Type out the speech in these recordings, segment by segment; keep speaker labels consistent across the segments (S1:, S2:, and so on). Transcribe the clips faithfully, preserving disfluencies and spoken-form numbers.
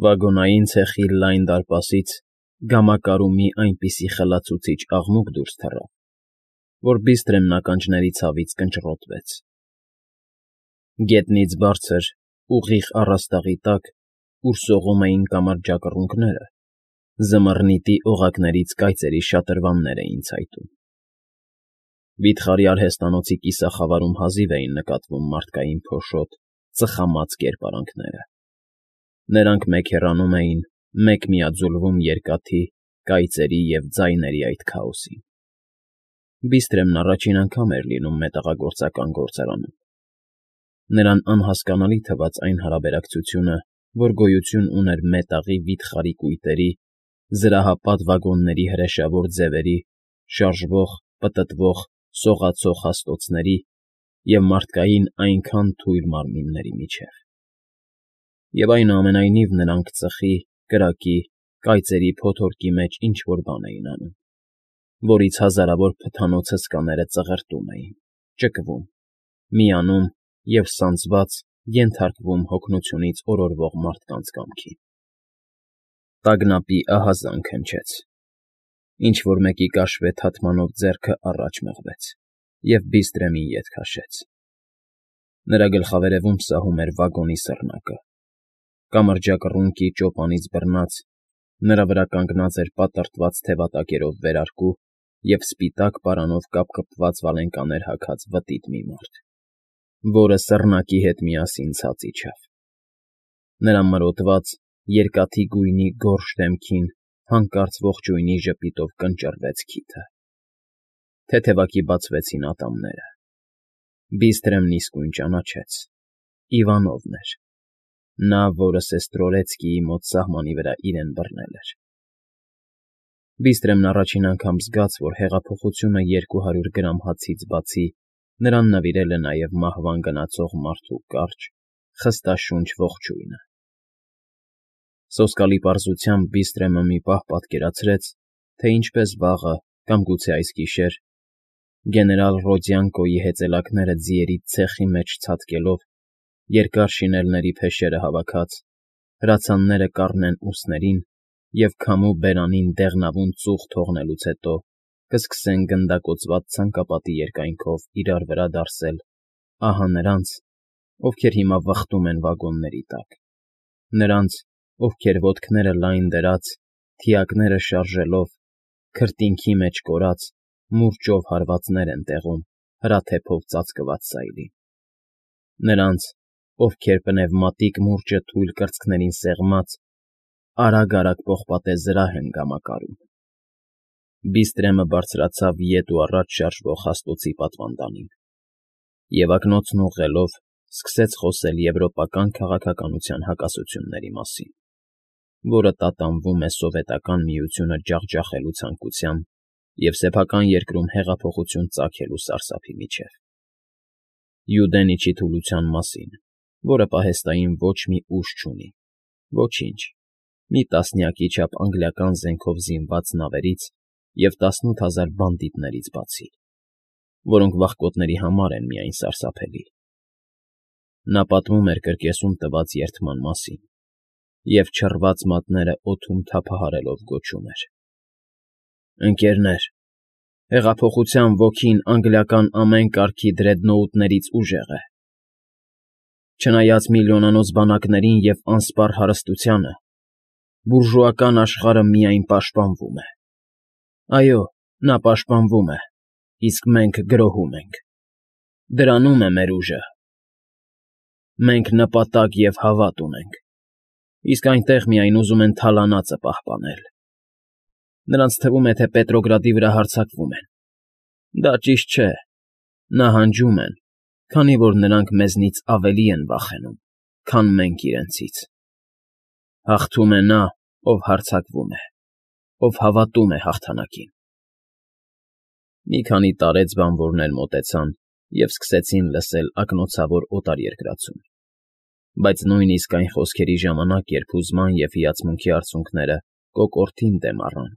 S1: Վագոնային ցեխի լայն դարպասից գամակարու մի այնպիսի խլացուցիչ աղմուկ դուրս թռավ, որ Բիստրեմն ականջների ցավից կնճռոտվեց. գետնից բարձր, ուղիղ առաստաղի տակ, ուր սողում էին կամրջակռունկները, զմռնիթի օղակներից կայծերի շատրվաններ էին ցայտում։ Վիթխարի արհեստանոցի կիսախավարում հազիվ էին նկատվում մարդկային փոշոտ, ծխամած կերպարանքները. նրանք մեկ հեռանում էին, մեկ միաձուլվում երկաթի, կայծերի և ձայների այդ քաոսին։ Բիստրեմն առաջին անգամ էր լինում մետաղագործական գործարանում։ Նրան անհասկանալի թվաց այն հարաբերակցությունը, որ գոյություն ուներ մետաղի վիթխարի կույտերի, զրահապատ վագոնների հրեշավոր ձևերի, շարժվող, պտտվող, սողացող հաստոցների և մարդկային այնքան թույլ մարմինների միջև։ Եվ այնուամենայնիվ նրանք ծխի, կրակի, կայծերի փոթորկի մեջ ինչ֊որ բան էին անում, որից հազարավոր փթանոց հսկաները ծղրտում էին, ճկվում, միանում և, սանձված, ենթարկվում հոգնությունից օրորվող մարդկանց կամքին։ Տագնապի ահազանգ հնչեց։ Ինչ֊որ մեկի կաշվե թաթմանով ձեռքը առաջ մղվեց և Բիստրեմին ետ քաշեց։ Նրա գլխավերևում սահում էր վագոնի սռնակը։ Կամրջակռունկի ճոպանից բռնած՝ նրա վրա կանգնած էր պատռտված թևատակերով վերարկու և սպիտակ պարանով կապկպված վալենկաներ հագած վտիտ մի մարդ, որը սռնակի հետ միասին ցած իջավ։ Նրա մրոտված, երկաթի գույնի գորշ դեմքին հանկարծ ողջույնի ժպիտով կնճռվեց քիթը։ Թեթևակի բացվեցին ատամները։ Բիստրեմն իսկույն ճանաչեց. Իվանովն էր, նա, որը Սեստրորեցկիի մոտ սահմանի վրա իրեն բռնել էր։ Բիստրեմն առաջին անգամ զգաց, որ հեղափոխությունը երկու հարյուր գրամ հացից բացի նրան նվիրել է նաև մահվան գնացող մարդու կարճ, խստաշունչ ողջույնը։ Սոսկալի պարզությամբ Բիստրեմը մի պահ պատկերացրեց, թե ինչպես վաղը կամ գուցե այս գիշեր, գեներալ Ռոդյանկոյի հեծելաքները ձիերի ցեխի մեջ ցատկելով, երկար շինելների փեշերը հավաքած, հրացանները կառնեն ուսներին և քամու բերանին դեղնավուն ծուխ թողնելուց հետո կսկսեն գնդակոծված ցանկապատի երկայնքով իրար վրա դարսել ահա նրանց, ովքեր հիմա վխտում են վագոնների տակ, նրանց, ովքեր ոտքները լայն դրած, թիակները շարժելով, քրտինքի մեջ կորած, մուրճով հարվածներ են տեղում հրաթեփով ծածկված սայլին, նրանց, ովքեր պնևմատիկ մուրճը թույլ կրծքներին սեղմած, արագ֊արագ պողպատե զրահ են գամակարում։ Բիստրեմը բարձրացավ ետ ու առաջ շարժվող հաստոցի պատվանդանին և ակնոցն ուղղելով սկսեց խոսել եվրոպական քաղաքականության հակասությունների մասին, որը տատանվում է Սովետական Միությունը ջախջախելու ցանկությամբ և սեփական երկրում հեղափոխություն ծագելու սարսափի միջև, Յուդենիչի թուլության մասին, որը պահեստային ոչ մի ուժ չունի, ոչինչ, մի տասնյակի չափ անգլիական զենքով զինված նավերից և տասնութ հազար բանդիտներից բացի, որոնք վախկոտների համար են միայն սարսափելի։ Նա պատմում էր կրկեսում տված երդման մասին և չռված մատները օդում թափահարելով գոչում էր. «Ընկերներ, հեղափոխության ոգին անգլիական ամեն կարգի դրեդնոուտներից ուժեղ է։ Չնայած միլիոնանոց բանակներին և անսպառ հարստությանը, բուրժուական աշխարհը միայն պաշտպանվում է։ Այո, նա պաշտպանվում է, իսկ մենք գրոհում ենք։ Դրանում է մեր ուժը։ Մենք նպատակ և հավատ ունենք, իսկ այնտեղ միայն ուզում են թալանածը պահպանել։ Նրանց թվում է, թե Պետրոգրադի վրա հարձակվում են։ Դա ճիշտ չէ, նահանջում են, քանի որ նրանք մեզնից ավելի են վախենում, քան մենք իրենցից։ Հաղթում է նա, ով հարձակվում է, ով հավատում է հաղթանակին»։ Մի քանի տարեց բանվորներ մոտեցան և սկսեցին լսել ակնոցավոր օտարերկրացում, բայց նույնիսկ այն խոսքերի ժամանակ, երբ հուզման և հիացմունքի արցունքները կոկորդին դեմ առան,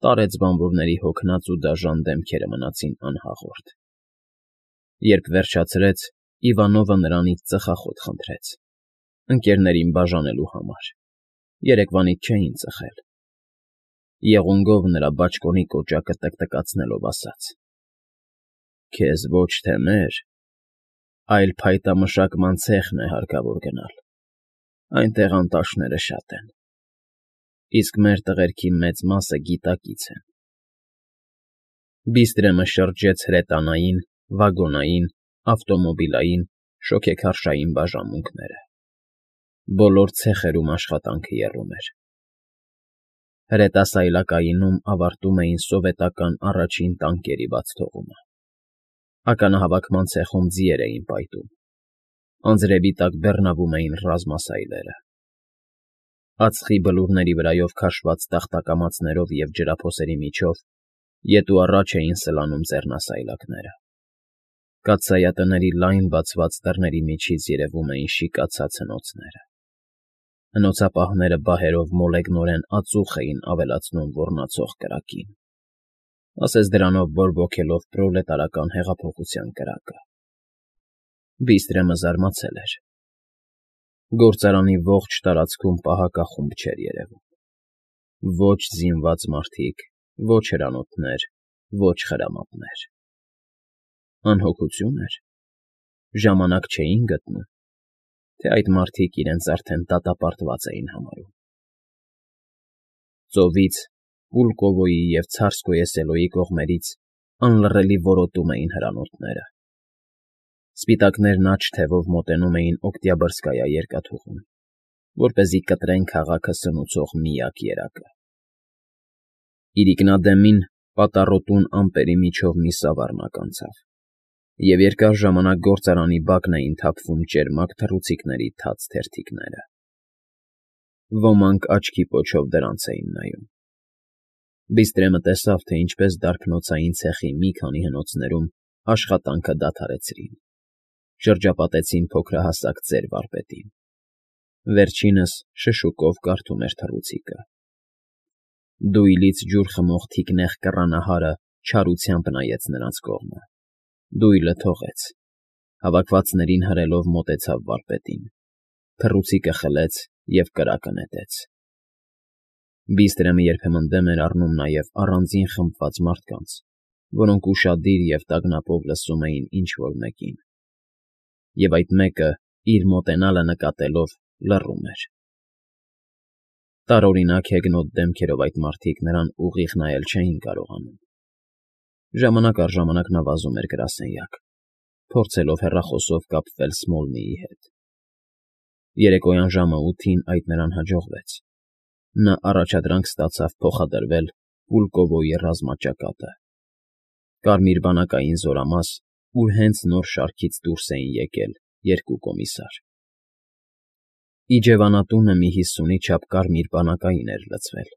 S1: տարեց բանվորների հոգնած ու դաժան դեմքերը մնացին անհաղորդ։ Երբ վերջացրեց, Իվանովը նրանից ծխախոտ խնդրեց՝ ընկներներին բաժանելու համար, Երեկվանից չէին ծխել։ Եղունգով նրա բաճկոնի կոճակը տկտկացնելով ասաց. «Քեզ ոչ թե մեր, այլ փայտամշակման ցեխն է հարկավոր գնալ, այնտեղ անտաշները շատ են, իսկ մեր տղերքի մեծ մասը գիտակից են»։ Բիստրեմը շրջեց հրետանային, վագոնային, ավտոմոբիլային, շոգեքարշային բաժանմունքները։ Բոլոր ցեխերում աշխատանքը եռում էր։ Հրետասայլակայինում ավարտում էին սովետական առաջին տանկերի բացթողումը։ Ականահավաքման ցեխում ձիեր էին պայթում։ Անձրևի տակ բեռնավում էին ռազմասայլերը։ Ածխի բլուրների վրայով քաշված տախտակամածներով և ջրափոսերի միջով ետ ու առաջ էին սլանում ձեռնասայլակները։ Կաթսայատների լայն բացված դռների միջից երևում էին շիկացած հնոցները։ Հնոցապահները բահերով մոլեգնորեն ածուխ էին ավելացնում ոռնացող կրակին, ասես դրանով բորբոքելով պրոլետարական հեղափոխության կրակը։ Բիստրեմը զարմացել էր։ Գործարանի ողջ տարածքում պահակախումբ չէր երևում։ Ոչ զինված մարդիկ, ոչ հրանոթներ, ոչ խրամատներ։ Անհոգություն էր։ Ժամանակ չէին գտնում, թե այդ մարդիկ իրենց արդեն դատապարտված էին համարում։ Ծովից, Պուլկովոյի և Ցարսկոե Սելոյի կողմերից անլռելի որոտում էին հրանոթները։ Սպիտակներն աջ թևով մոտենում էին Օկտյաբրսկայա երկաթուղուն, որպեսզի կտրեն քաղաքը սնուցող միակ երակը։ Իրիկնադեմին պատառոտուն ամպերի միջով մի սավառնակ անցավ, և երկար ժամանակ գործարանի բակն էին թափվում ճերմակ թռուցիկների թաց թերթիկները։ Ոմանք աչքի պոչով դրանց էին նայում։ Բիստրեմը տեսավ, թե ինչպես դարբնոցային ցեխի մի քանի հնոցներում աշխատանքը դադարեցրին, շրջապատեցին փոքրահասակ ծեր վարպետին։ Վերջինս շշուկով կարդում էր թռուցիկը։ Դույլից ջուր խմող թիկնեղ կռանահարը չարությամբ նայեց նրանց կողմը։ Դույլը թողեց, հավաքվածներին հրելով մոտեցավ վարպետին, թռուցիկը խլեց և կրակը նետեց։ Բիստրեմը երբեմն դեմ էր առնում նաև առանձին խմբված մարդկանց, որոնք ուշադիր և տագնապով լսում էին ինչ֊որ մեկին, և այդ մեկը, իր մոտենալը նկատելով, լռում էր։ Տարօրինակ հեգնոտ դեմքերով այդ մարդիկ նրան ուղիղ նայել չէին կարողանում։ Ժամանակ առ ժամանակ նա վազում էր գրասենյակ, փորձելով հեռախոսով կապվել Սմոլնիի հետ։ Երեկոյան ժամը ութին այդ նրան հաջողվեց։ Նա առաջադրանք ստացավ փոխադրվել Պուլկովոյի ռազմաճակատը։ Կարմիր բանակային զորամաս, ուր հենց նոր շարքից դուրս էին եկել երկու կոմիսար։ Իջևանատունը մի հիսունի չափ կարմիր բանակային էր լցվել։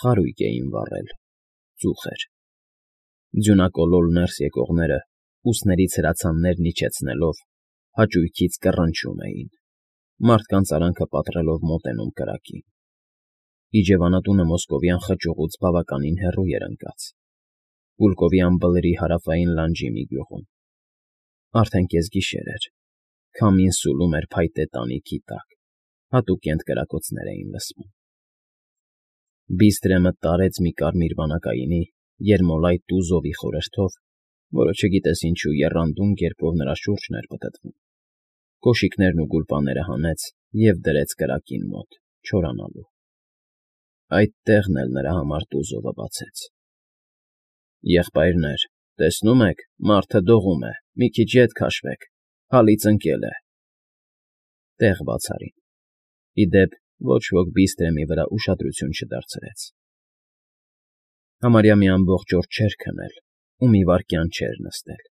S1: Խարույկ էին վառել, ծուխ էր։ Ձյունակոլոլ ներս եկողները, ուսներից հրացաններն իջեցնելով, հաճույքից կռնչում էին, մարդկանց արանքը պատռելով մոտենում կրակին։ Իջևանատունը մոսկովյան խճուղուց բավականին հեռու էր ընկած, Պուլկովյան բլրի հարավային լանջի մի գյուղում։ Արդեն կեսգիշեր էր, քամին սուլում էր փայտե տանիքի տակ, հատուկենտ կրակոցներ էին լսվում։ Բիստրեմը տարեց մի կարմիր բանակայինի, երմոլայտ տուզովի խորհրդով, որը չգիտես ինչու եռանդուն կերպով նրա շուրջն էր պտտվում, կոշիկներն ու գուլպաները հանեց և դրեց կրակին մոտ, չորանալու։ Այդ տեղն էլ նրա համար տուզովը բացեց։ «Եղբայրներ, տեսնո՞ւմ եք, մարդը դողում է, մի քիչ ետ քաշվեք, հալից ընկել է»։ Տեղ բաց արին։ Ի դեպ, ոչ ոք Բիստրեմի վրա ուշադրություն չդարձրեց։ Համարյա մի ամբողջ օր չէր քնել ու մի վայրկյան չէր նստել։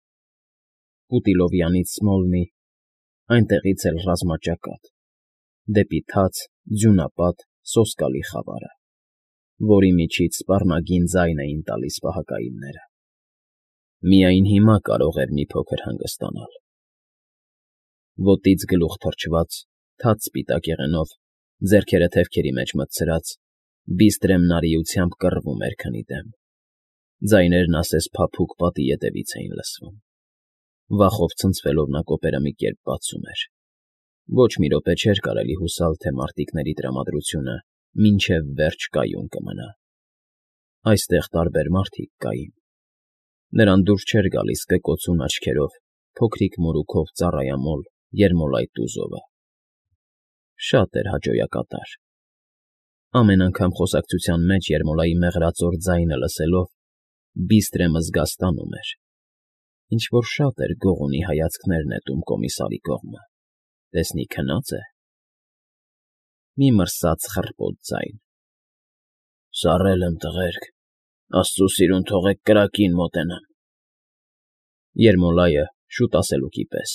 S1: Պուտիլովյանից Սմոլնի, այնտեղից էլ ռազմաճակատ, դեպի թաց, ձյունապատ, սոսկալի խավարը, որի միջից սպառնագին ձայն էին տալիս պահակայինները։ Միայն հիմա կարող էր մի փոքր հանգստանալ։ Ոտից գլուխ թռչված, թաց սպիտակ եղենով, ձեռքերը թևքերի մեջ մտցրած, Բիստրեմն արիությամբ կռվում էր քնի դեմ։ Ձայներն ասես փափուկ պատի ետևից էին լսվում։ Վախով ցնցվելով նա կոպերը մի կերպ բացում էր։ Ոչ մի րոպե չէր կարելի հուսալ, թե մարտիկների տրամադրությունը մինչև վերջ կայուն կմնա. այստեղ տարբեր մարդիկ կային. նրան դուր չէր գալիս կկոցուն աչքերով, փոքրիկ մորուքով ծառայամոլ Երմոլայ Տուզովը. շատ էր հաճոյակատար. ամեն անգամ խոսակցության մեջ Երմոլայի մեղրածոր ձայնը լսելով Բիստրեմը զգաստանում էր. ինչ֊որ շատ էր գողունի հայացքներ նետում կոմիսարի կողմը, տեսնի քնա՞ծ է. մի մրսած խռպոտ ձայն. Սառել եմ, տղերք, աստծու սիրուն թողեք կրակին մոտենամ. Երմոլայը շուտ ասելուկի պես.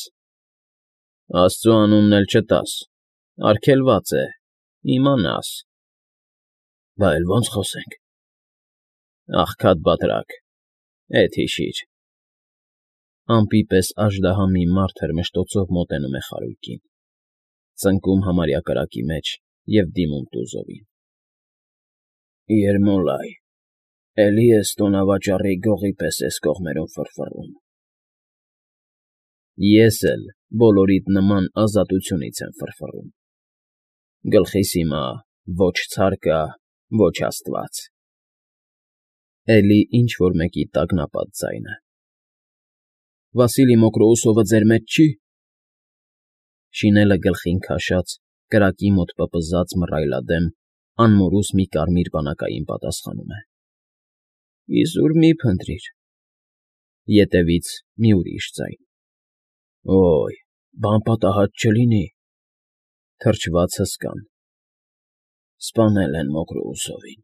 S1: Աստծու անունն էլ չտաս, արգելված է, իմանաս. Բա էլ ո՞նց խոսենք. աղքատ բատրակ, էդ հիշիր. ամպի պես աժդահա մի մարդ հրմշտոցով մոտենում է խարույկին, ծնկում համարյա կրակի մեջ և դիմում Տուզովին. Երմոլայ, էլի ես տոնավաճառի գողի պես ես կողմերում ֆռֆռում. ես էլ բոլորիդ նման ազատությունից եմ ֆռֆռում. գլխիս հիմա ոչ ցար կա, ոչ աստված. էլի ինչ֊որ մեկի տագնապած ձայնը. Վասիլի Մոկրոուսովը ձեր մեջ չի՞։ Շինելը գլխին քաշած, կրակի մոտ պպզած մռայլադեմ, անմորուս մի կարմիր բանակային պատասխանում է. Իզուր մի փնտրիր. ետևից մի ուրիշ ձայն. Ոյ, բան պատահած չլինի. թրջված հսկան. սպանել են Մոկրոուսովին.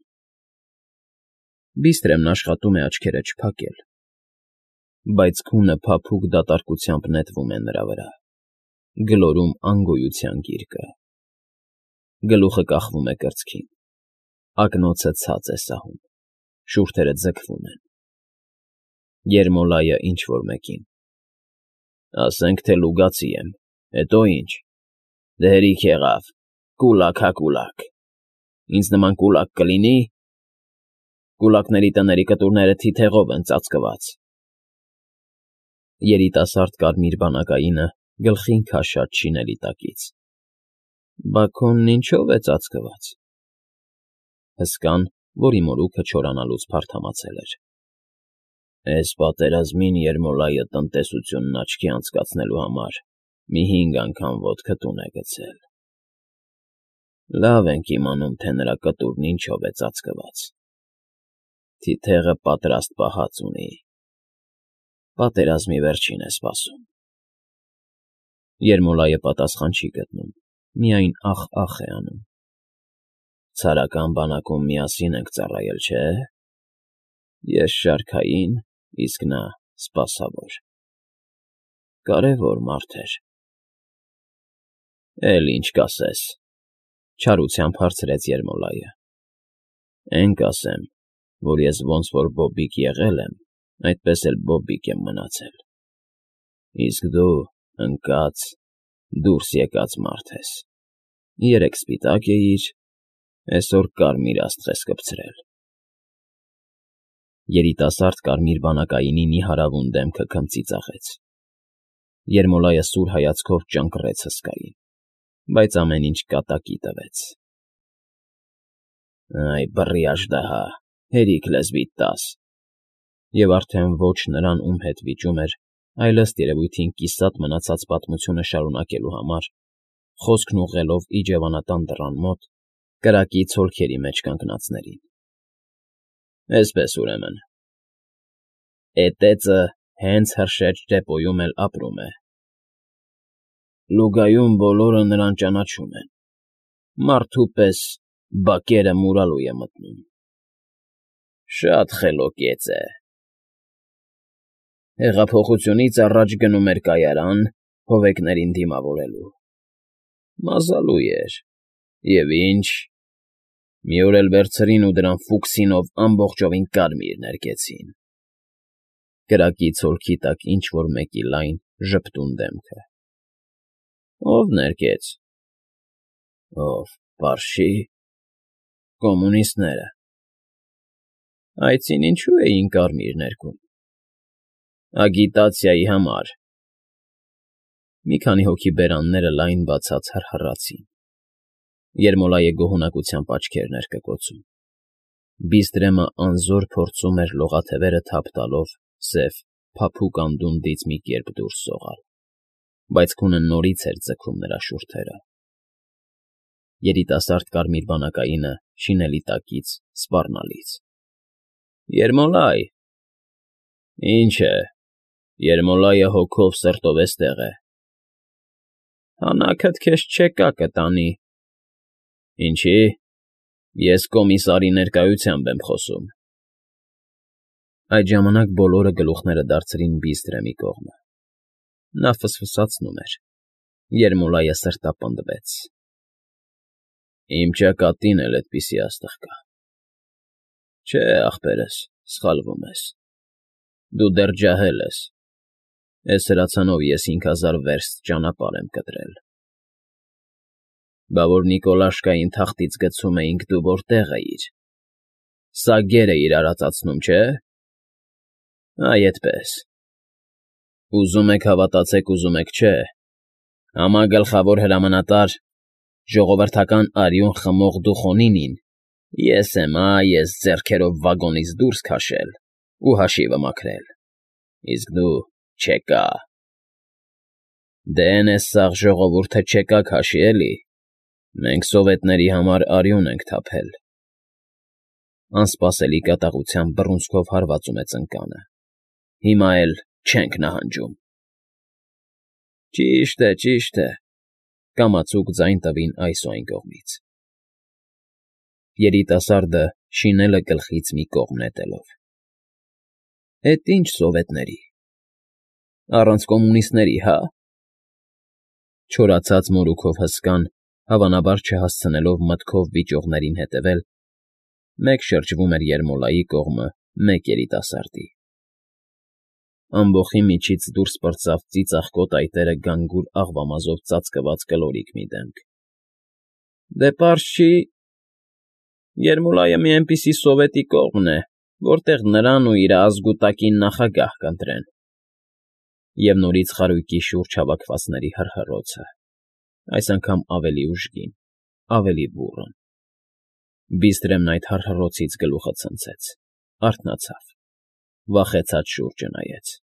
S1: Բիստրեմն աշխատում է աչքերը չփակել, բայց քունը փափուկ դատարկությամբ նետվում է նրա վրա, գլորում անգոյության գիրկը. գլուխը կախվում է կրծքին, ակնոցը ցած է սահում, շուրթերը ձգվում են. Երմոլայը ինչ֊որ մեկին. ասենք թե լուգացի եմ, հետո ինչ, դե հերիք եղավ, կուլակ հա կուլակ, ինձ նման կուլակ կլինի՞, կուլակների տների կտուրները թիթեղով են ծածկված. Երիտասարդ կարմիր բանակայինը գլխին քաշած շինելի տակից. Բա քոնն ինչո՞վ է ծածկված. Հսկան, որի մորուքը չորանալուց փարթամացել էր. Էս պատերազմին Երմոլայը տնտեսությունն աչքի անցկացնելու համար մի հինգ անգամ ոտքը տուն է գցել. Լավ ենք իմանում, թե նրա կտուրն ինչով է ծածկված. թիթեղը պատրաստ պահած ունի. պատերազմի վերջին է սպասում. Երմոլայը պատասխան չի գտնում, միայն ախ֊ախ է անում. Ցարական բանակում միասին ենք ծառայել, չէ՞, ես շարքային, իսկ նա սպասավոր. կարևոր մարդ էր. Էլ ինչ կասես, չարությամբ հարցրեց Երմոլայը. Էն կասեմ, որ ես ոնց որ բոբիկ եղել եմ, այդպես էլ բոբիկ եմ մնացել. իսկ դու ընկած, դուրս եկած մարդ ես, երեկ սպիտակ էիր, էսօր կարմիր աստղ ես կպցրել. Երիտասարդ կարմիր բանակայինի նիհարավուն դեմքը քմծի ծաղեց. Երմոլայը սուր հայացքով ճանկռեց հսկային, բայց ամեն ինչ կատակի տվեց. Այ բռի աժդահա, հերիք լեզվիդ տաս. և արդեն ոչ նրան, ում հետ վիճում էր, այլ ըստ երևույթին կիսատ մնացած պատմությունը շարունակելու համար, խոսքն ուղղելով իջևանատան դռան մոտ, կրակի ցոլքերի մեջ կանգնածներին. Էսպես ուրեմն, էտեծը հենց հրշեջ դեպոյում էլ ապրում է. լուգայում բոլորը նրան ճանաչում են, մարդու պես բակերը մուրալու է մտնում. շատ խելոք է. հեղափոխությունից առաջ գնում էր կայարան հովեկներին դիմավորելու. մազալու էր, և ինչ, մի օր էլ վերցրին ու դրան ֆուկսինով ամբողջովին կարմիր ներկեցին. կրակի ցոլքի տակ ինչ֊որ մեկի լայն, ժպտուն դեմքը. Ո՞վ ներկեց. Ո՞վ, պարշի, կոմունիստները. այցին ինչու էին կարմիր ներկում. ագիտացիայի համար. Մի քանի հոգի բերանները լայն բացած հռհռացին։ Երմոլայը գոհունակությամբ աչքերն էր կկոցում։ Բիստրեմը անզոր փորձում էր լողաթևերը թափ տալով սև, փափուկ անդունդից մի կերպ դուրս սողալ, բայց քունը նորից էր ձգում նրա շուրթերը։ Երիտասարդ կարմիր բանակայինը շինելի տակից սպառնալից։ ֊ Երմոլայ… Ինչ է, Երմոլայը հոգով սրտով էստեղ է։ Հանաքդ քեզ չեկա կտանի։ Ինչի՞։ Ես կոմիսարի ներկայությամբ եմ խոսում։ Այդ ժամանակ բոլորը գլուխները դարձրին Բիստրեմի կողմը։ Նա ֆսֆսացնում էր։ Երմոլայը սրտապնդվեց։ Իմ ճակատին էլ էդպիսի աստղ կա։ Չէ, ախպերս, սխալվում ես։ Դու դեռ ջահել ես։ Էս հրացանով ես հինգ հազար վերստ ճանապարհ եմ կտրել։ Բա որ Նիկոլաշկային թախտից գցում էինք, դու որտե՞ղ էիր։ Սա գեր էիր արածացնում, չէ՞։ Այ էդպես։ Ուզում եք հավատացեք, ուզում եք՝ չէ։ Համագլխավոր հրամանատար, ժողովրդական արյուն խմող դուխոնինին ես եմ, այ ես ձեռքերով վագոնից դուրս քաշել ու հաշիվը մաքրել, իսկ դու՝ չեկա։ Դե էն էս սաղ ժողովուրդը չեկաք հաշի, էլի։ Մենք սովետների համար արյուն ենք թափել։ Անսպասելի կատաղությամբ բռունցքով հարվածում է ծնկանը։ Հիմա էլ չենք նահանջում։ Ճիշտ է, ճիշտ է,֊ կամացուկ ձայն տվին այս ու այն կողմից։ Երիտասարդը շինելը գլխից մի կողմ նետելով։ Էդ ինչ սովետների… Առանց կոմունիստների, հա՞։ Չորացած մորուքով հսկան, հավանաբար չհասցնելով մտքով վիճողներին հետևել, մեկ շրջվում էր Երմոլայի կողմը, մեկ երիտասարդի։ Ամբոխի միջից դուրս պրծավ ծիծաղկոտ այտերը գանգուր աղվամազով ծածկված կլորիկ մի դեմք։ Դե պարզ չի… Երմոլայը մի էնպիսի սովետի կողմն է, որտեղ նրան ու իր ազգուտակին նախագահ կընտրեն։ Եվ նորից խարույկի շուրջ հավաքվածների հռհռոցը, այս անգամ ավելի ուժգին, ավելի բուռն։ Բիստրեմն այդ հռհռոցից գլուխը ցնցեց, արթնացավ, վախեցած շուրջը նայեց։